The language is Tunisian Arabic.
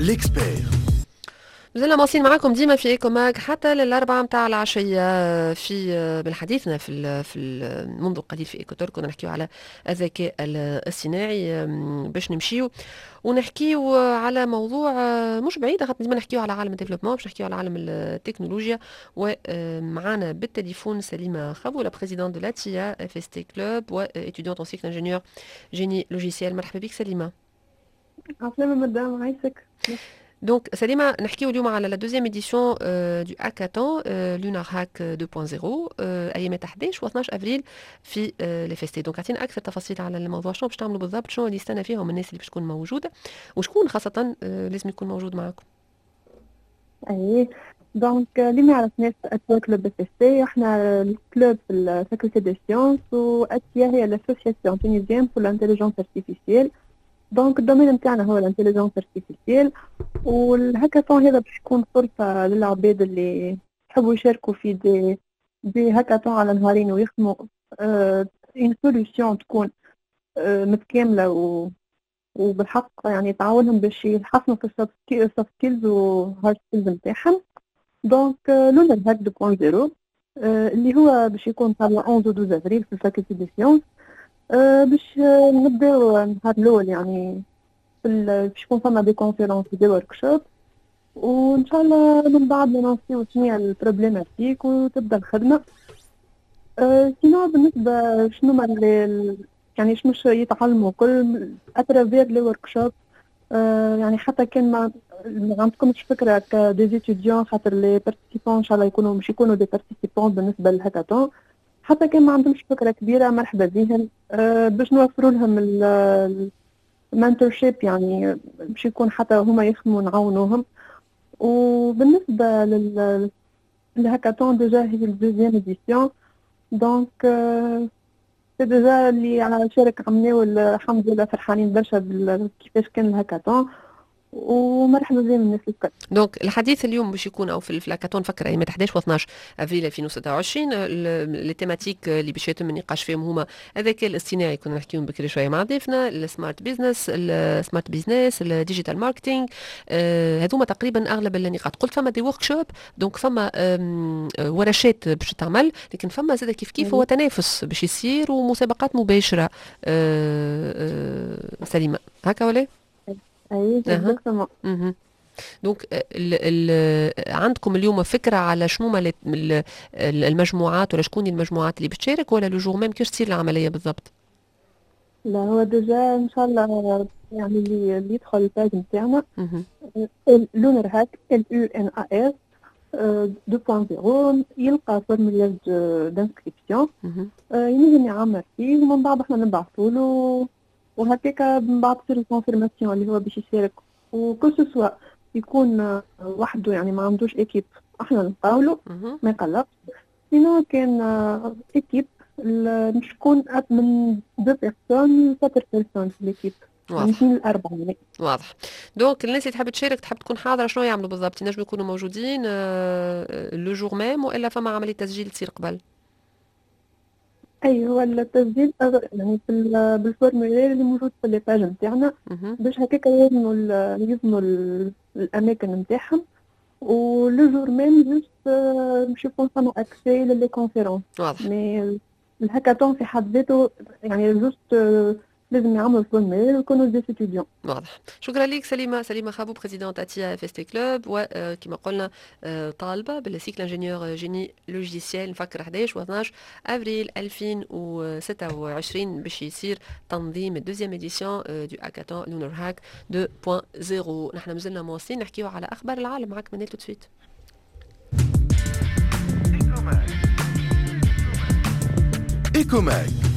l'expert. مازلنا مواصلين معاكم ديما في Eco Mag حتى للأربعة متاع العشية في بالحديثنا في منذ قليل في Eco Talk كنا نحكيو على الذكاء الصناعي، باش نمشيو ونحكيو على موضوع مش بعيد، خاطر ديما نحكيو على عالم ال développement، باش نحكيو على عالم التكنولوجيا. ومعنا بالتليفون سليمة خابو، la présidente de l'ATIA FST Club و étudiante en cycle ingénieur génie logiciel. مرحبا بك سليمة. عسلامة مدام، عايشك. donc سليمة، نحكيو اليوم على la deuxième édition du hackathon Lunar Hack 2.0، ايامات 11 و 12 افريل في ال FST. donc اعطينا اكثر تفاصيل على الموضوع، شنو باش تعملوا بالضبط، شنو اللي يستنى فيهم الناس اللي باش تكون موجوده، وشكون خاصة لازم يكون موجود معاكم. اي، donc اللي ما يعرفناش، ATIA Club FST، احنا ال club في ال faculté des sciences، و ATIA هي l'association tunisienne pour l'intelligence artificielle. donc ال domaine نتاعنا هو l'intelligence artificielle، والهاكاثون هذا باش يكون فرصة للعباد اللي يحبوا يشاركوا في des hackathons على نهارين ويخدموا une solution تكون متكاملة وبالحق يعني تعاونهم باش يحسنوا في ال soft skills و hard skills نتاعهم. donc Lunar Hack 2.0 اللي هو باش يكون تاع 11 و 12 افريل في ال faculté des sciences. باش نبداو النهار الاول، يعني باش يكون فما des conférences، des workshops، وان شاء الله من بعد نلانسيو شنو هي ال problématique وتبدا الخدمه. Sinon بالنسبة شنو ما يعني شنو يتعلموا كل à travers les workshops، يعني حتى كان ما عندكمش فكرة ك des étudiants، خاطر les participants ان شاء الله يكونوا مش يكونوا des participants بالنسبة للهاكاثون، حتى كان ما عندهمش فكرة كبيرة مرحبا بهم، باش نوفروا لهم ال mentorship، يعني باش يكون حتى هما يخدموا نعاونوهم. وبالنسبة لل hackathon déjà هي ال deuxième édition، donc c'est déjà اللي على شارك عملناه الحمد لله فرحانين برشا كيفاش كان الهاكاثون، ومرحبا بهم الناس الكل. donc الحديث اليوم باش يكون او في الهاكاثون فكر ايام 11 و 12 افريل 2026، les thématiques اللي باش يتم النقاش فيهم هما الذكاء الاصطناعي، كنا نحكيو بكري شوية مع ضيفنا، ال smart business، ال smart business، ال digital marketing، هذوما تقريبا اغلب النقاط. قلت فما des workshops، donc فما ورشات باش تعمل، لكن فما زاد كيف كيف هو تنافس باش يصير ومسابقات مباشره. سليمه، هكا ولا؟ اي، exactement. donc ال عندكم اليوم فكرة على شنو ما المجموعات ولا شكون المجموعات اللي بتشارك، ولا le jour même كيفاش تصير العملية بالضبط؟ لا، هو déjà ان شاء الله يعني اللي يدخل ال page نتاعنا Lunar Hack L U N A R 2.0 يلقى formulaire d'inscription ينجم يعمر فيه، ومن بعد احنا نبعثوا له، وهكاك من بعد تصير ال confirmation اللي هو باش يشارك، و que ce soit يكون وحده، يعني ما عندوش équipe، احنا نقاولو ما يقلقش. sinon كان équipe مش تكون من deux personnes quatre personnes في l'équipe. واضح. من اثنين لأربعة يعني. واضح. donc الناس اللي تحب تشارك، تحب تكون حاضرة، شنو يعملوا بالضبط؟ ينجموا يكونوا موجودين le jour même والا فما عملية تسجيل تصير قبل؟ اي، هو التسجيل يعني في بال formulaire اللي موجود في les pages نتاعنا، باش هكاك يضمنوا الاماكن نتاعهم، و le jour même juste باش يكون فما accès ل les conférences. Mais ال hackathon في حد ذاته يعني juste لازم يعملوا formulaire ويكونوا des étudiants. واضح، شكرا لك سليمه، سليمة خابو، présidente ATIA FST Club، وكما قلنا طالبه بال cycle ingénieur génie logiciel. نفكر 11 و 12 افريل 2026 باش يصير تنظيم ال deuxième édition du hackathon Lunar Hack 2.0. نحن مازلنا مواصلين نحكيو على اخبار العالم معك منال tout de suite. Eco Mag.